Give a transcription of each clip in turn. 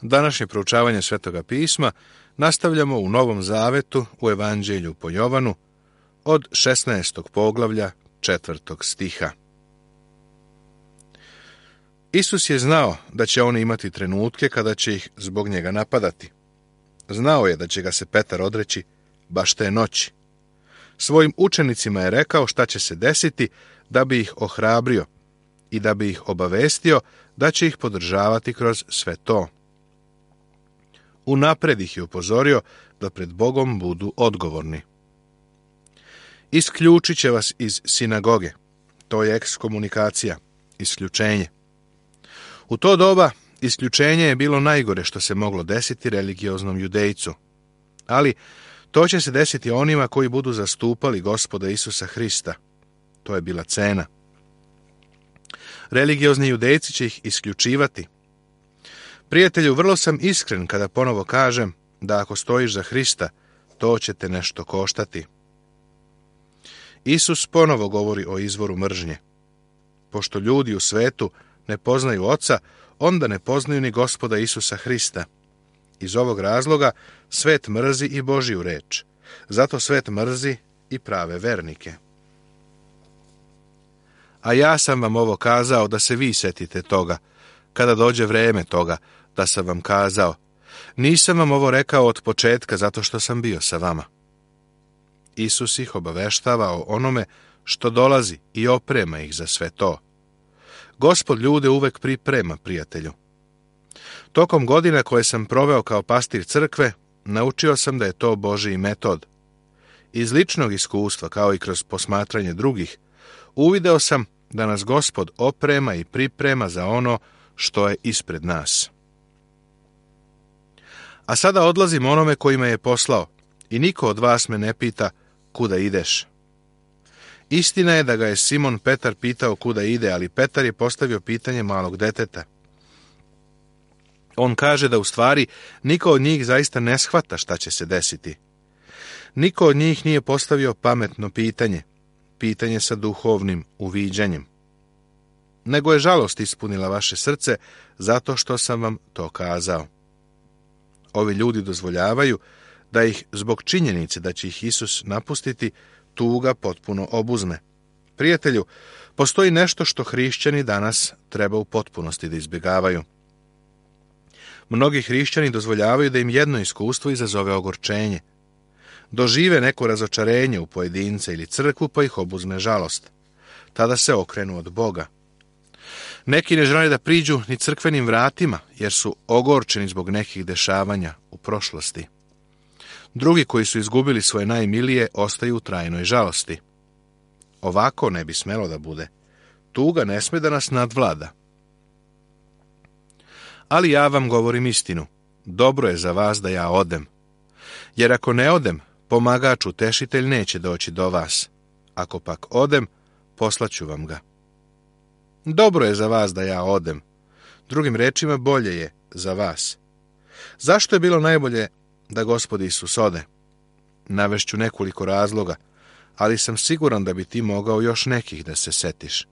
Današnje proučavanje Svetoga pisma nastavljamo u Novom Zavetu u Evanđelju po Jovanu od 16. poglavlja 4. stiha. Isus je znao da će oni imati trenutke kada će ih zbog njega napadati. Znao je da će ga se Petar odreći baš te noći. Svojim učenicima je rekao šta će se desiti da bi ih ohrabrio i da bi ih obavestio da će ih podržavati kroz sve to. Unapred ih je upozorio da pred Bogom budu odgovorni. Isključit će vas iz sinagoge. To je ekskomunikacija, isključenje. U to doba isključenje je bilo najgore što se moglo desiti religioznom judejcu. Ali to će se desiti onima koji budu zastupali Gospoda Isusa Hrista. To je bila cena. Religiozni judejci će ih isključivati. Prijatelju, vrlo sam iskren kada ponovo kažem da ako stojiš za Hrista, to će te nešto koštati. Isus ponovo govori o izvoru mržnje. Pošto ljudi u svetu ne poznaju Oca, onda ne poznaju ni Gospoda Isusa Hrista. Iz ovog razloga svet mrzi i Božju reč. Zato svet mrzi i prave vernike. A ja sam vam ovo kazao da se vi setite toga, kada dođe vreme toga, da sam vam kazao. Nisam vam ovo rekao od početka zato što sam bio sa vama. Isus ih obaveštava o onome što dolazi i oprema ih za sve to. Gospod ljude uvek priprema, prijatelju. Tokom godina koje sam proveo kao pastir crkve, naučio sam da je to Božji metod. Iz ličnog iskustva, kao i kroz posmatranje drugih, uvideo sam da nas Gospod oprema i priprema za ono što je ispred nas. A sada odlazim onome koji me je poslao i niko od vas me ne pita kuda ideš. Istina je da ga je Simon Petar pitao kuda ide, ali Petar je postavio pitanje malog deteta. On kaže da u stvari niko od njih zaista ne shvata šta će se desiti. Niko od njih nije postavio pametno pitanje, pitanje sa duhovnim uviđanjem. Nego je žalost ispunila vaše srce zato što sam vam to kazao. Ovi ljudi dozvoljavaju da ih zbog činjenice da će ih Isus napustiti, tuga potpuno obuzme. Prijatelju, postoji nešto što hrišćani danas treba u potpunosti da izbjegavaju. Mnogi hrišćani dozvoljavaju da im jedno iskustvo izazove ogorčenje. Dožive neko razočarenje u pojedinca ili crkvu pa ih obuzme žalost. Tada se okrenu od Boga. Neki ne žele da priđu ni crkvenim vratima jer su ogorčeni zbog nekih dešavanja u prošlosti. Drugi koji su izgubili svoje najmilije ostaju u trajnoj žalosti. Ovako ne bi smelo da bude. Tuga ne sme da nas nadvlada. Ali ja vam govorim istinu. Dobro je za vas da ja odem. Jer ako ne odem, pomagač utešitelj neće doći do vas. Ako pak odem, poslaću vam ga. Dobro je za vas da ja odem. Drugim rečima, bolje je za vas. Zašto je bilo najbolje da Gospod Isus ode? Navešću nekoliko razloga, ali sam siguran da bi ti mogao još nekih da se setiš.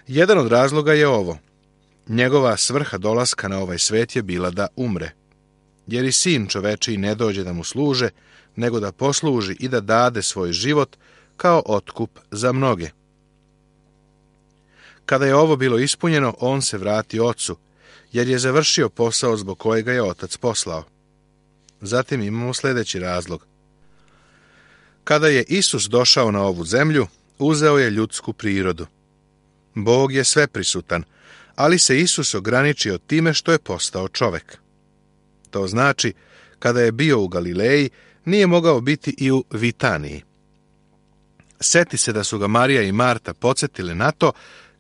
Jedan od razloga je ovo. Njegova svrha dolaska na ovaj svet je bila da umre. Jer i sin čovečiji ne dođe da mu služe, nego da posluži i da dade svoj život kao otkup za mnoge. Kada je ovo bilo ispunjeno, on se vrati ocu, jer je završio posao zbog kojega je otac poslao. Zatim imamo sljedeći razlog. Kada je Isus došao na ovu zemlju, uzeo je ljudsku prirodu. Bog je sveprisutan, ali se Isus ograničio time što je postao čovek. To znači, kada je bio u Galileji, nije mogao biti i u Vitaniji. Seti se da su ga Marija i Marta podsjetile na to,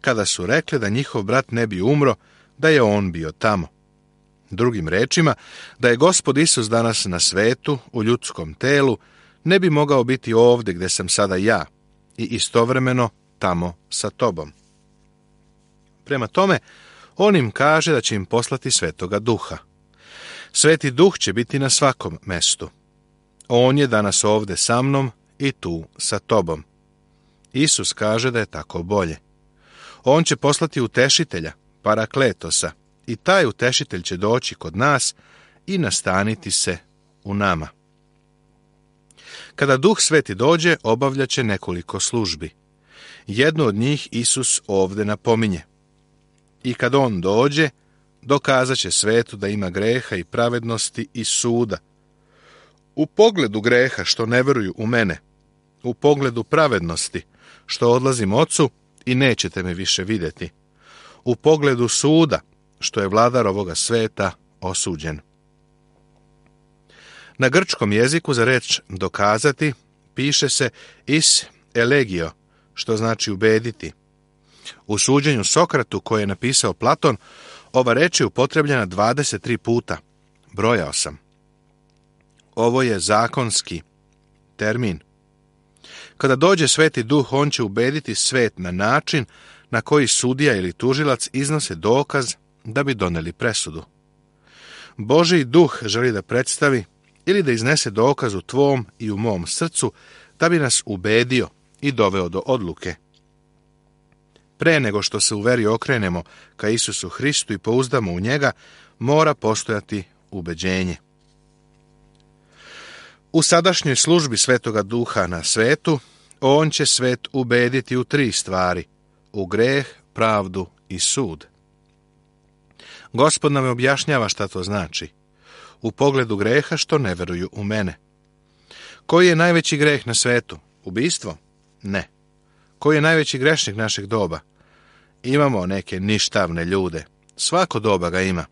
kada su rekli da njihov brat ne bi umro, da je on bio tamo. Drugim rečima, da je Gospod Isus danas na svetu, u ljudskom telu, ne bi mogao biti ovdje gdje sam sada ja i istovremeno tamo sa tobom. Prema tome, on im kaže da će im poslati Svetoga Duha. Sveti Duh će biti na svakom mestu. On je danas ovdje sa mnom i tu sa tobom. Isus kaže da je tako bolje. On će poslati utešitelja, Parakletosa, i taj utešitelj će doći kod nas i nastaniti se u nama. Kada Duh Sveti dođe, obavljat će nekoliko službi. Jednu od njih Isus ovdje napominje. I kad on dođe, dokazat će svetu da ima greha i pravednosti i suda. U pogledu greha što ne veruju u mene, u pogledu pravednosti što odlazim Ocu i nećete me više vidjeti, u pogledu suda što je vladar ovoga sveta osuđen. Na grčkom jeziku za reč dokazati piše se is elegio, što znači ubediti. U suđenju Sokratu koje je napisao Platon, ova reč je upotrebljena 23 puta. Brojao sam. Ovo je zakonski termin. Kada dođe Sveti Duh, on će ubediti svet na način na koji sudija ili tužilac iznose dokaz da bi doneli presudu. Božji Duh želi da predstavi ili da iznese dokaz u tvom i u mom srcu da bi nas ubedio i doveo do odluke. Pre nego što se u veri okrenemo ka Isusu Hristu i pouzdamo u njega, mora postojati ubeđenje. U sadašnjoj službi Svetoga Duha na svetu, on će svet ubediti u 3 stvari: u greh, pravdu i sud. Gospod nam objašnjava šta to znači. U pogledu greha što ne veruju u mene. Koji je najveći greh na svetu? Ubistvo? Ne. Koji je najveći grešnik našeg doba? Imamo neke ništavne ljude. Svako doba ga ima.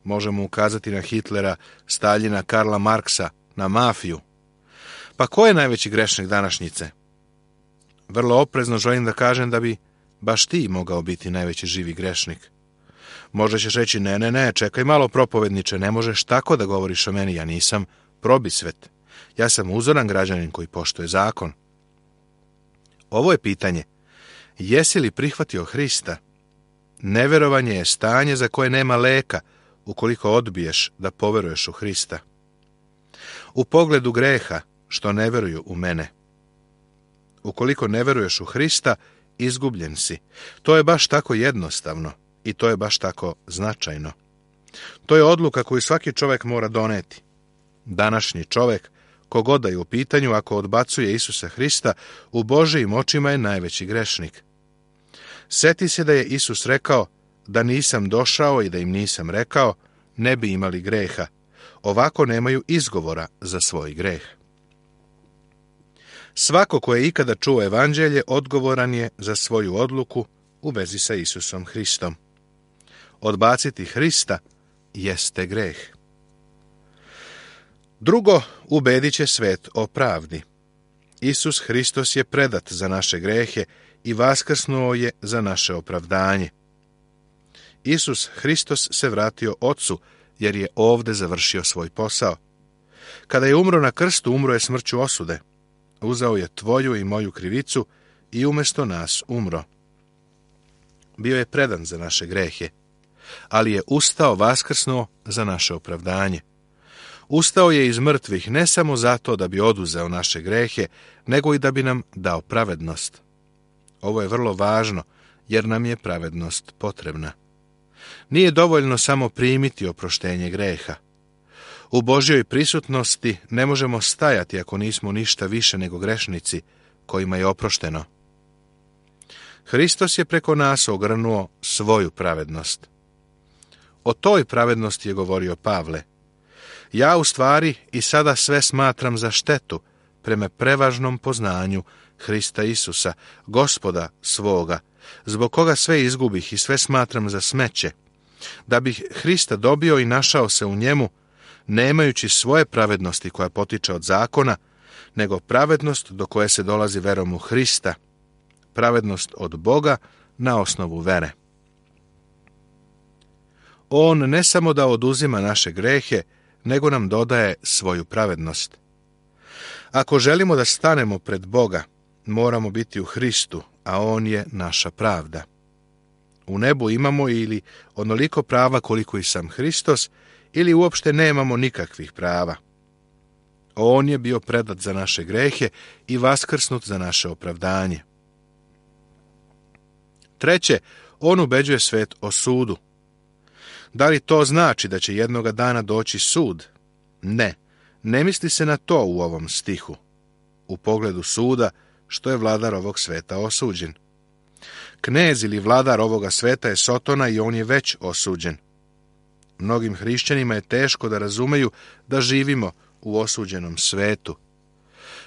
Možemo ukazati na Hitlera, Staljina, Karla Marksa, na mafiju. Pa ko je najveći grešnik današnjice? Vrlo oprezno želim da kažem da bi baš ti mogao biti najveći živi grešnik. Možda ćeš reći, ne, čekaj malo propovedniče, ne možeš tako da govoriš o meni, ja nisam probisvet. Ja sam uzoran građanin koji poštuje zakon. Ovo je pitanje. Jesi li prihvatio Hrista? Neverovanje je stanje za koje nema leka ukoliko odbiješ da poveruješ u Hrista. U pogledu greha što ne veruju u mene. Ukoliko ne veruješ u Hrista, izgubljen si. To je baš tako jednostavno i to je baš tako značajno. To je odluka koju svaki čovjek mora doneti. Današnji čovjek, kogoda je u pitanju, ako odbacuje Isusa Hrista, u Božijim očima je najveći grešnik. Seti se da je Isus rekao, da nisam došao i da im nisam rekao, ne bi imali greha. Ovako nemaju izgovora za svoj greh. Svako ko je ikada čuo evanđelje odgovoran je za svoju odluku u vezi sa Isusom Hristom. Odbaciti Hrista jeste greh. Drugo, ubedit će svet o pravdi. Isus Hristos je predat za naše grehe i vaskrsnuo je za naše opravdanje. Isus Hristos se vratio Ocu, jer je ovde završio svoj posao. Kada je umro na krstu, umro je smrću osude. Uzeo je tvoju i moju krivicu i umjesto nas umro. Bio je predan za naše grehe, ali je ustao vaskrsnuo za naše opravdanje. Ustao je iz mrtvih ne samo zato da bi oduzeo naše grehe, nego i da bi nam dao pravednost. Ovo je vrlo važno, jer nam je pravednost potrebna. Nije dovoljno samo primiti oproštenje greha. U Božjoj prisutnosti ne možemo stajati ako nismo ništa više nego grešnici kojima je oprošteno. Hristos je preko nas ogrnuo svoju pravednost. O toj pravednosti je govorio Pavle. Ja u stvari i sada sve smatram za štetu prema prevažnom poznanju Hrista Isusa, Gospoda svoga, zbog koga sve izgubih i sve smatram za smeće, da bih Hrista dobio i našao se u njemu, nemajući svoje pravednosti koja potiče od zakona, nego pravednost do koje se dolazi verom u Hrista, pravednost od Boga na osnovu vere. On ne samo da oduzima naše grehe, nego nam dodaje svoju pravednost. Ako želimo da stanemo pred Boga, moramo biti u Hristu, a On je naša pravda. U nebu imamo ili onoliko prava koliko i sam Hristos, ili uopšte nemamo nikakvih prava. On je bio predat za naše grehe i vaskrsnut za naše opravdanje. Treće, on ubeđuje svet o sudu. Da li to znači da će jednoga dana doći sud? Ne, ne misli se na to u ovom stihu. U pogledu suda, što je vladar ovog sveta osuđen. Knez ili vladar ovoga sveta je Sotona i on je već osuđen. Mnogim hrišćanima je teško da razumeju da živimo u osuđenom svetu.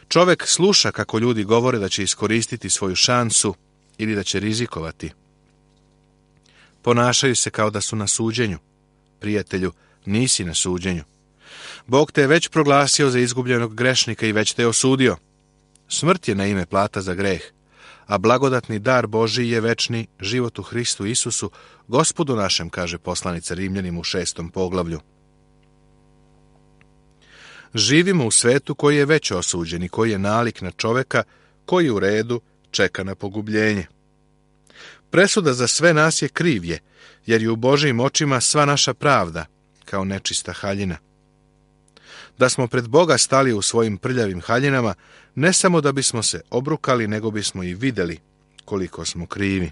Čovjek sluša kako ljudi govore da će iskoristiti svoju šansu ili da će rizikovati. Ponašaju se kao da su na suđenju. Prijatelju, nisi na suđenju. Bog te je već proglasio za izgubljenog grešnika i već te je osudio. Smrt je na ime plata za greh, a blagodatni dar Božiji je večni život u Hristu Isusu, Gospodu našem, kaže poslanica Rimljanima u 6. poglavlju. Živimo u svetu koji je već osuđen i koji je nalik na čoveka koji u redu čeka na pogubljenje. Presuda za sve nas je krivlje, jer je u Božijim očima sva naša pravda, kao nečista haljina. Da smo pred Boga stali u svojim prljavim haljinama, ne samo da bismo se obrukali, nego bismo i vidjeli koliko smo krivi.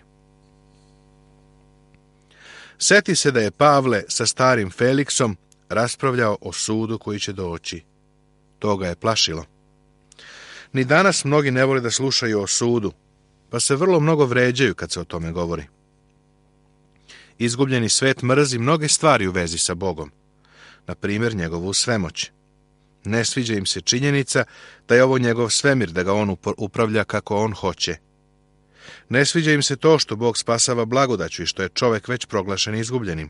Seti se da je Pavle sa starim Feliksom raspravljao o sudu koji će doći. To ga je plašilo. Ni danas mnogi ne vole da slušaju o sudu, pa se vrlo mnogo vređaju kad se o tome govori. Izgubljeni svet mrzi mnoge stvari u vezi sa Bogom, na primjer njegovu svemoć. Ne sviđa im se činjenica da je ovo njegov svemir, da ga on upravlja kako on hoće. Ne sviđa im se to što Bog spasava blagodaću i što je čovjek već proglašen izgubljenim.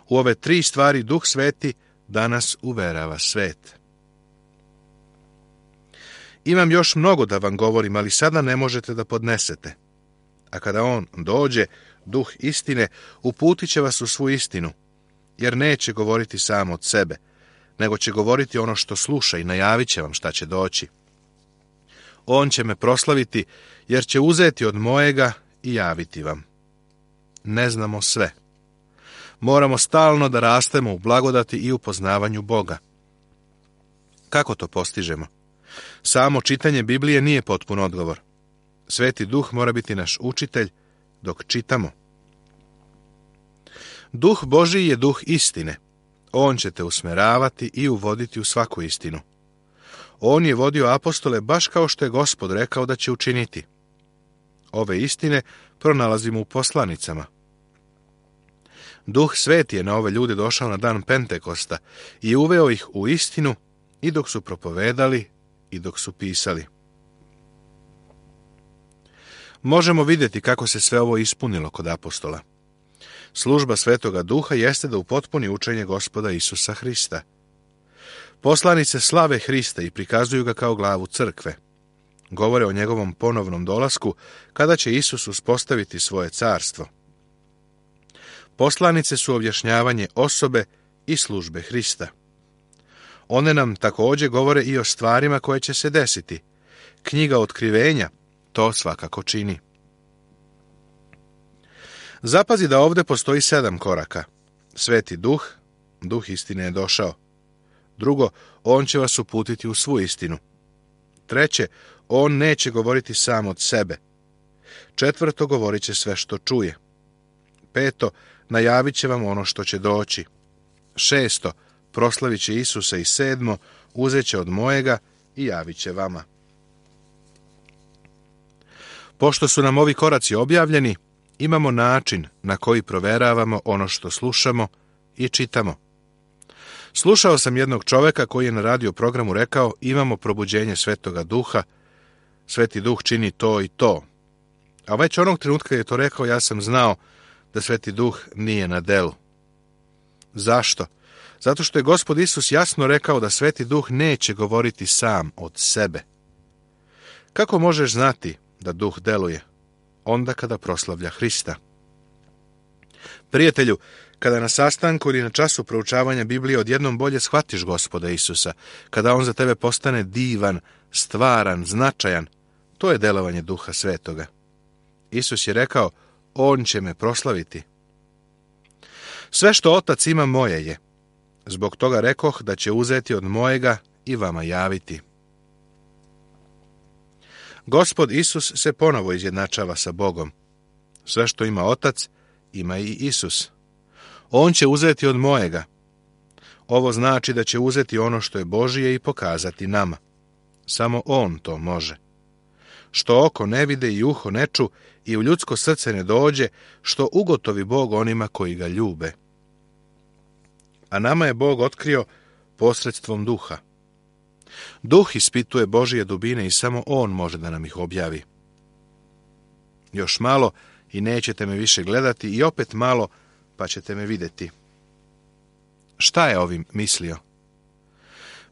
U ove 3 stvari Duh Sveti danas uverava svet. Imam još mnogo da vam govorim, ali sada ne možete da podnesete. A kada on dođe, Duh istine, uputit će vas u svu istinu, jer neće govoriti sam od sebe, nego će govoriti ono što sluša i najavit će vam šta će doći. On će me proslaviti, jer će uzeti od mojega i javiti vam. Ne znamo sve. Moramo stalno da rastemo u blagodati i u poznavanju Boga. Kako to postižemo? Samo čitanje Biblije nije potpun odgovor. Sveti Duh mora biti naš učitelj dok čitamo. Duh Božiji je duh istine. On će te usmeravati i uvoditi u svaku istinu. On je vodio apostole baš kao što je Gospod rekao da će učiniti. Ove istine pronalazimo u poslanicama. Duh Sveti je na ove ljude došao na dan Pentekosta i uveo ih u istinu i dok su propovedali i dok su pisali. Možemo vidjeti kako se sve ovo ispunilo kod apostola. Služba Svetoga Duha jeste da upotpuni učenje Gospoda Isusa Hrista. Poslanice slave Hrista i prikazuju ga kao glavu crkve. Govore o njegovom ponovnom dolasku kada će Isus uspostaviti svoje carstvo. Poslanice su objašnjavanje osobe i službe Hrista. One nam također govore i o stvarima koje će se desiti. Knjiga Otkrivenja to svakako čini. Zapazi da ovdje postoji 7 koraka. Sveti Duh, Duh istine je došao. Drugo, on će vas uputiti u svu istinu. Treće, on neće govoriti sam od sebe. Četvrto, govorit će sve što čuje. Peto, najavit će vam ono što će doći. Šesto, proslavit će Isusa. I 7, uzet će od mojega i javit će vama. Pošto su nam ovi koraci objavljeni, imamo način na koji proveravamo ono što slušamo i čitamo. Slušao sam jednog čoveka koji je na radio programu rekao: imamo probuđenje Svetoga Duha, Sveti Duh čini to i to. A već onog trenutka je to rekao, ja sam znao da Sveti Duh nije na delu. Zašto? Zato što je Gospod Isus jasno rekao da Sveti Duh neće govoriti sam od sebe. Kako možeš znati da Duh deluje? Onda kada proslavlja Hrista. Prijatelju, kada na sastanku ili na času proučavanja Biblije odjednom bolje shvatiš Gospoda Isusa, kada on za tebe postane divan, stvaran, značajan, to je delovanje Duha Svetoga. Isus je rekao: on će me proslaviti. Sve što Otac ima moje je. Zbog toga rekoh da će uzeti od mojega i vama javiti. Gospod Isus se ponovo izjednačava sa Bogom. Sve što ima Otac, ima i Isus. On će uzeti od mojega. Ovo znači da će uzeti ono što je Božije i pokazati nama. Samo on to može. Što oko ne vide i uho ne ču i u ljudsko srce ne dođe, što ugotovi Bog onima koji ga ljube. A nama je Bog otkrio posredstvom duha. Duh ispituje Božije dubine i samo on može da nam ih objavi. Još malo i nećete me više gledati i opet malo pa ćete me vidjeti. Šta je ovim mislio?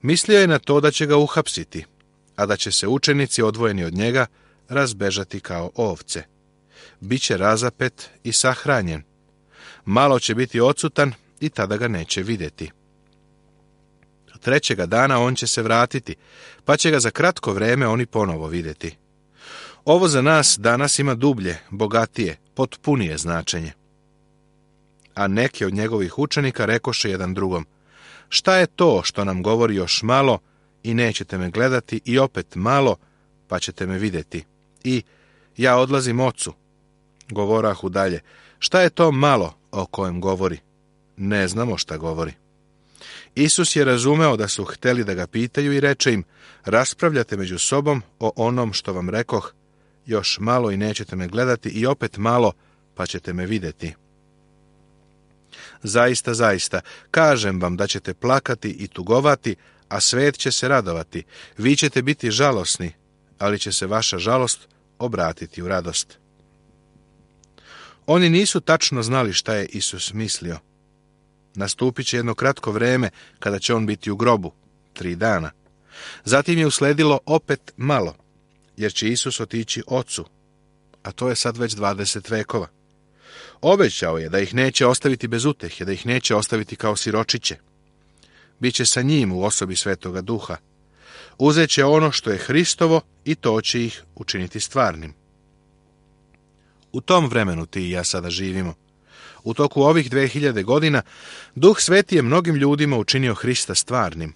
Mislio je na to da će ga uhapsiti, a da će se učenici odvojeni od njega razbežati kao ovce. Biće razapet i sahranjen. Malo će biti odsutan i tada ga neće vidjeti. Trećega dana on će se vratiti, pa će ga za kratko vreme oni ponovo vidjeti. Ovo za nas danas ima dublje, bogatije, potpunije značenje. A neki od njegovih učenika rekoše jedan drugom: šta je to što nam govori još malo i nećete me gledati i opet malo pa ćete me vidjeti? I ja odlazim ocu. Govorahu dalje: šta je to malo o kojem govori? Ne znamo šta govori. Isus je razumeo da su hteli da ga pitaju i reče im: raspravljate među sobom o onom što vam rekoh, još malo i nećete me gledati i opet malo pa ćete me vidjeti. Zaista, zaista, kažem vam da ćete plakati i tugovati, a svet će se radovati. Vi ćete biti žalosni, ali će se vaša žalost obratiti u radost. Oni nisu tačno znali šta je Isus mislio. Nastupit će jedno kratko vreme kada će on biti u grobu, 3 dana. Zatim je usledilo opet malo, jer će Isus otići ocu, a to je sad već 20 vekova. Obećao je da ih neće ostaviti bez utehe, da ih neće ostaviti kao siročiće. Biće sa njim u osobi Svetoga Duha. Uzet će ono što je Hristovo i to će ih učiniti stvarnim. U tom vremenu ti i ja sada živimo. U toku ovih 2000 godina Duh Sveti je mnogim ljudima učinio Hrista stvarnim.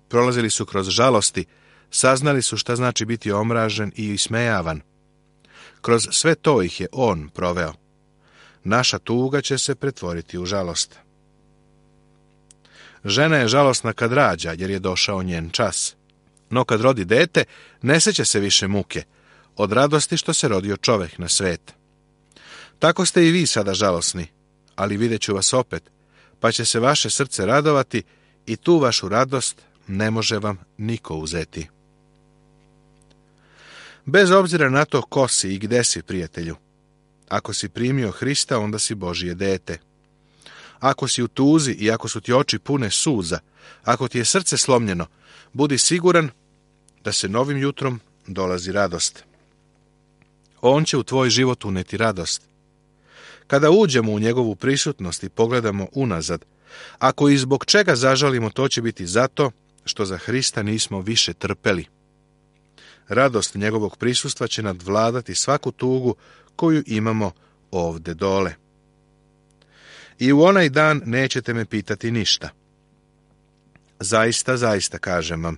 Prolazili su kroz žalosti, saznali su šta znači biti omražen i ismejavan. Kroz sve to ih je on proveo. Naša tuga će se pretvoriti u žalost. Žena je žalosna kad rađa, jer je došao njen čas. No kad rodi dete, ne seća se više muke, od radosti što se rodio čovek na svet. Tako ste i vi sada žalosni, ali vidjet ću vas opet, pa će se vaše srce radovati i tu vašu radost ne može vam niko uzeti. Bez obzira na to ko si i gde si, prijatelju, ako si primio Hrista, onda si Božije dete. Ako si u tuzi i ako su ti oči pune suza, ako ti je srce slomljeno, budi siguran da se novim jutrom dolazi radost. On će u tvoj život uneti radost. Kada uđemo u njegovu prisutnost i pogledamo unazad, ako i zbog čega zažalimo, to će biti zato što za Hrista nismo više trpeli. Radost njegovog prisustva će nadvladati svaku tugu koju imamo ovde dole. I u onaj dan nećete me pitati ništa. Zaista, zaista kažem vam,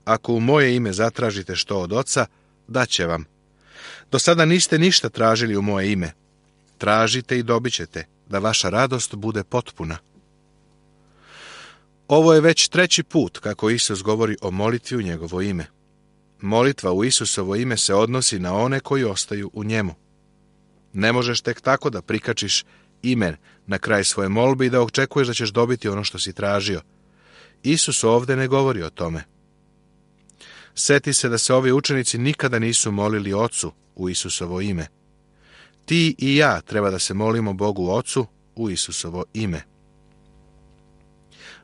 ako u moje ime zatražite što od Oca, daće vam. Do sada niste ništa tražili u moje ime. Tražite i dobit ćete, da vaša radost bude potpuna. Ovo je već 3. put kako Isus govori o molitvi u njegovo ime. Molitva u Isusovo ime se odnosi na one koji ostaju u njemu. Ne možeš tek tako da prikačiš ime na kraj svoje molbe i da očekuješ da ćeš dobiti ono što si tražio. Isus ovdje ne govori o tome. Seti se da se ovi učenici nikada nisu molili Ocu u Isusovo ime. Ti i ja treba da se molimo Bogu Ocu u Isusovo ime.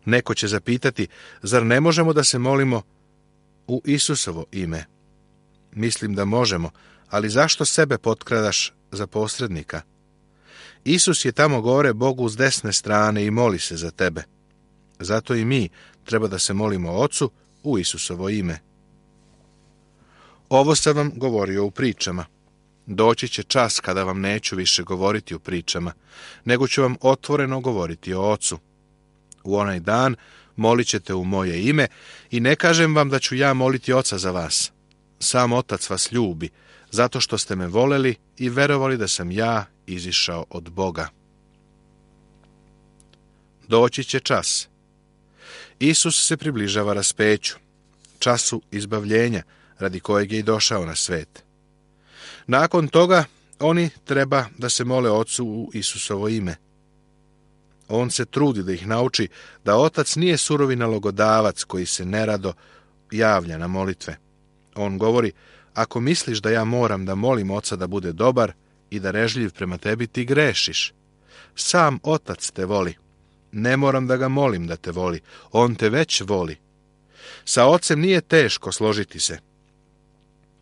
Neko će zapitati, zar ne možemo da se molimo u Isusovo ime? Mislim da možemo, ali zašto sebe potkradaš za posrednika? Isus je tamo gore Bogu s desne strane i moli se za tebe. Zato i mi treba da se molimo Ocu u Isusovo ime. Ovo sam vam govorio u pričama. Doći će čas kada vam neću više govoriti u pričama, nego ću vam otvoreno govoriti o Ocu. U onaj dan molit ćete u moje ime i ne kažem vam da ću ja moliti Oca za vas. Sam Otac vas ljubi, zato što ste me voleli i verovali da sam ja izišao od Boga. Doći će čas. Isus se približava raspeću, času izbavljenja radi kojeg je i došao na svet. Nakon toga oni treba da se mole Ocu u Isusovo ime. On se trudi da ih nauči da Otac nije surovi nalogodavac koji se nerado javlja na molitve. On govori, ako misliš da ja moram da molim Oca da bude dobar i darežljiv prema tebi, ti grešiš. Sam Otac te voli. Ne moram da ga molim da te voli. On te već voli. Sa Ocem nije teško složiti se.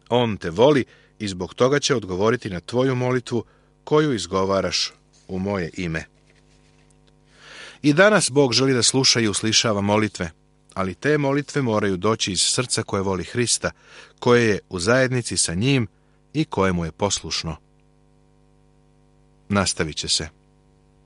On te voli i zbog toga će odgovoriti na tvoju molitvu koju izgovaraš u moje ime. I danas Bog želi da sluša i uslišava molitve, ali te molitve moraju doći iz srca koje voli Hrista, koje je u zajednici sa njim i koje mu je poslušno. Nastavit će se.